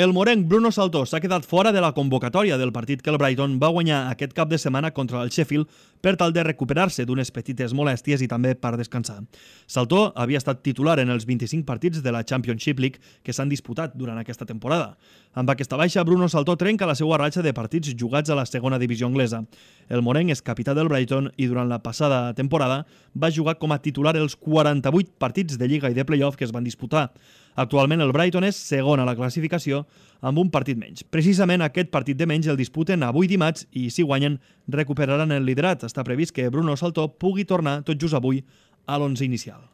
El morenc Bruno Saltó s'ha quedat fora de la convocatòria del partit que el Brighton va guanyar aquest cap de setmana contra el Sheffield per tal de recuperar-se d'unes petites molèsties i també per descansar. Saltó havia estat titular en els 25 partits de la Championship League que s'han disputat durant aquesta temporada. Amb aquesta baixa, Bruno Saltó trenca la seva ratxa de partits jugats a la segona divisió anglesa. El morenc és capità del Brighton i durant la passada temporada va jugar com a titular els 48 partits de Lliga i de Playoff que es van disputar. Actualment el Brighton és segon a la classificació amb un partit menys. Precisament aquest partit de menys el disputen avui dimarts i si guanyen recuperaran el liderat. Està previst que Bruno Saltó pugui tornar tot just avui a l'11 inicial.